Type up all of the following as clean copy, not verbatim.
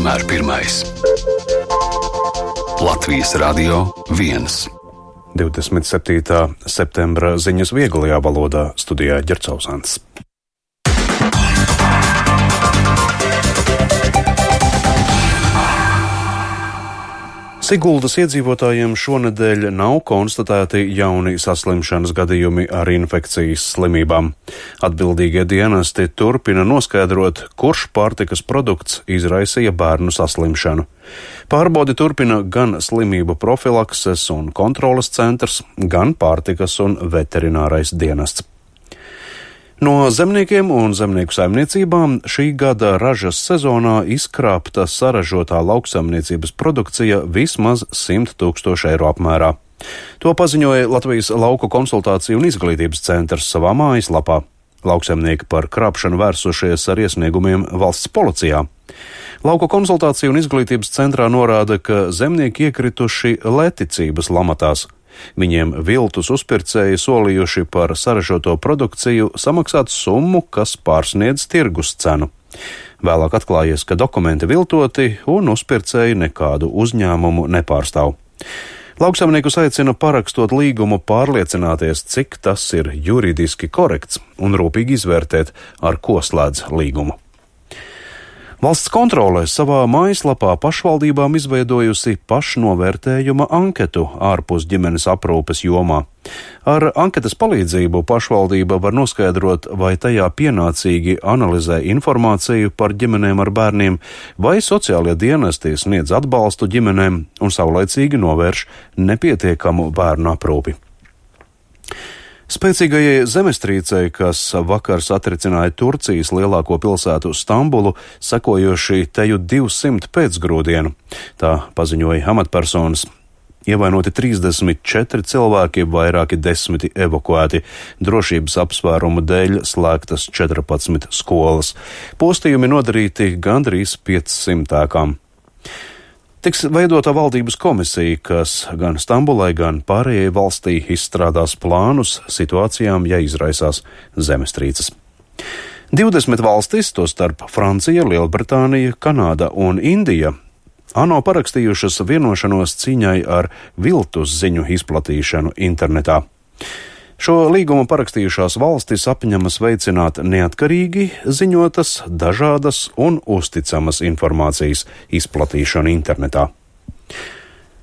vienmēr pirmais. Latvijas Radio 1. 27. septembra ziņas vieglajā valodā, studijā Ģercauzāns. Siguldas iedzīvotājiem šonedēļ nav konstatēti jauni saslimšanas gadījumi ar infekcijas slimībām. Atbildīgie dienesti turpina noskaidrot, kurš pārtikas produkts izraisīja bērnu saslimšanu. Pārbaudi turpina gan slimību profilakses un kontroles centrs, gan pārtikas un veterinārais dienests. No zemniekiem un zemnieku saimniecībām šī gada ražas sezonā izkrāpta saražotā lauksaimniecības produkcija vismaz 100 000 eiro apmērā. To paziņoja Latvijas Lauku konsultāciju un izglītības centrs savā mājaslapā. Lauksaimnieki par krāpšanu vērsušies ar iesniegumiem valsts policijā. Lauku konsultāciju un izglītības centrā norāda, ka zemnieki iekrituši lētticības lamatās. Viņiem viltus uzpircēji solījuši par saražoto produkciju samaksāt summu, kas pārsniedz tirgus cenu. Vēlāk atklājies, ka dokumenti viltoti un uzpircēji nekādu uzņēmumu nepārstāv. Lauksaimniekus aicina parakstot līgumu pārliecināties, cik tas ir juridiski korekts un rūpīgi izvērtēt, ar ko slēdz līgumu. Valsts kontrole savā mājaslapā pašvaldībām izveidojusi pašnovērtējuma anketu ārpus ģimenes aprūpes jomā. Ar anketas palīdzību pašvaldība var noskaidrot, vai tajā pienācīgi analizē informāciju par ģimenēm ar bērniem, vai sociālie dienesti sniedz atbalstu ģimenēm un saulaicīgi novērš nepietiekamu bērnu aprūpi. Spēcīgajai zemestrīcei, kas vakar satricināja Turcijas lielāko pilsētu Stambulu, sekojoši teju 200 pēcgrūdienu. Tā paziņoja amatpersonas. Ievainoti 34 cilvēki, vairāki 10 evakuēti. Drošības apsvērumu dēļ slēgtas 14 skolas. Postījumi nodarīti gandrīz 500 ēkām. Tiks veidota valdības komisija, kas gan Stambulai, gan pārējai valstī izstrādās plānus situācijām, ja izraisās zemestrīces. 20 valstis, tostarp Francija, Lielbritānija, Kanāda un Indija, ANO parakstījušas vienošanos cīņai ar viltus ziņu izplatīšanu internetā. Šo līgumu parakstījušās valstis apņemas veicināt neatkarīgi ziņotas, dažādas un uzticamas informācijas izplatīšanu internetā.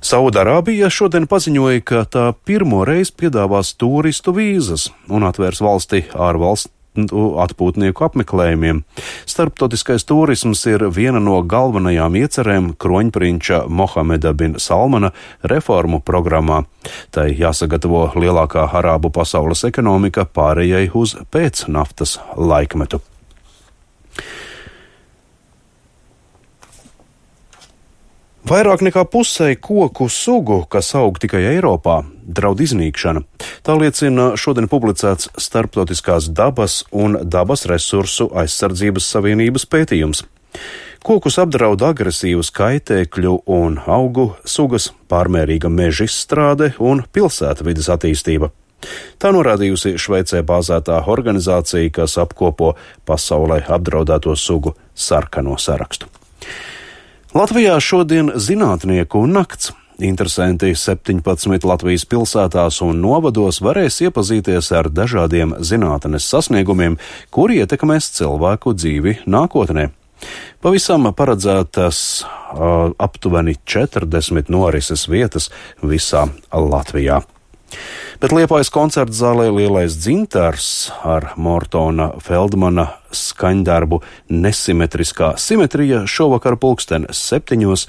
Saudarābija šodien paziņoja, ka tā pirmo reizi piedāvās turistu vīzas un atvērs valsti ārvalstu atpūtnieku apmeklējumiem. Starptautiskais turisms ir viena no galvenajām iecerēm kroņprinča Mohameda bin Salmana reformu programmā. Tai jāsagatavo lielākā arābu pasaules ekonomika pārējai uz pēcnaftas laikmetu. Vairāk nekā pusei koku sugu, kas aug tikai Eiropā, draud iznīkšana. Tā liecina šodien publicēts Starptautiskās dabas un dabas resursu aizsardzības savienības pētījums. Kokus apdraud agresīvas kaitēkļu un augu sugas, pārmērīga meža izstrāde un pilsētvides attīstība. Tā norādījusi Šveicē bāzētā organizācija, kas apkopo pasaulē apdraudēto sugu sarkano sarakstu. Latvijā šodien zinātnieku nakts. Interesanti 17 Latvijas pilsētās un novados varēs iepazīties ar dažādiem zinātnes sasniegumiem, kuri ietekmēs cilvēku dzīvi nākotnē. Pavisam paredzētas aptuveni 40 norises vietas visā Latvijā. Bet Liepājas koncerta zālē Lielais dzintars ar Mortona Feldmana skaņdarbu Nesimetriskā simetrija šovakar 7:00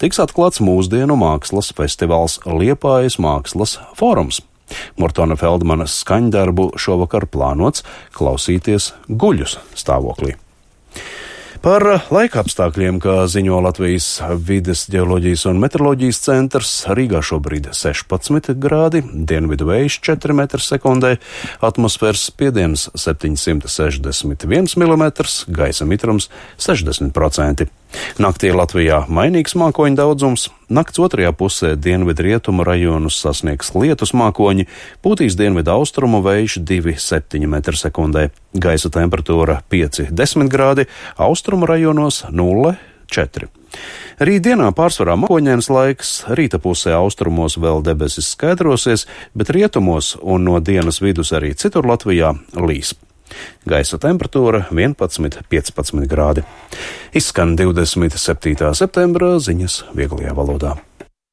tiks atklāts mūsdienu mākslas festivāls Liepājas mākslas fórums. Mortona Feldmana skaņdarbu šovakar plānots klausīties guļus stāvoklī. Par laika apstākļiem, kā ziņo Latvijas vides ģeoloģijas un meteoroloģijas centrs, Rīgā šobrīd 16 grādi, dienvidu vējš 4 m/sekundē, atmosfēras spiediens 761 mm, gaisa mitrums 60%. Naktī Latvijā mainīgs mākoņu daudzums, nakts otrajā pusē dienvidrietumu rajonus sasniegs lietus mākoņi, pūtīs dienvidu austrumu vējš 2,7 m/sekundē, gaisa temperatūra 5-10 grādi, austrumu rajonos 0,4. Rītdienā pārsvarā mākoņains laiks, rīta pusē austrumos vēl debesis skaidrosies, bet rietumos un no dienas vidus arī citur Latvijā līs. Gaisa temperatūra 11–15 grādi. Izskan 27. septembra ziņas vieglajā valodā.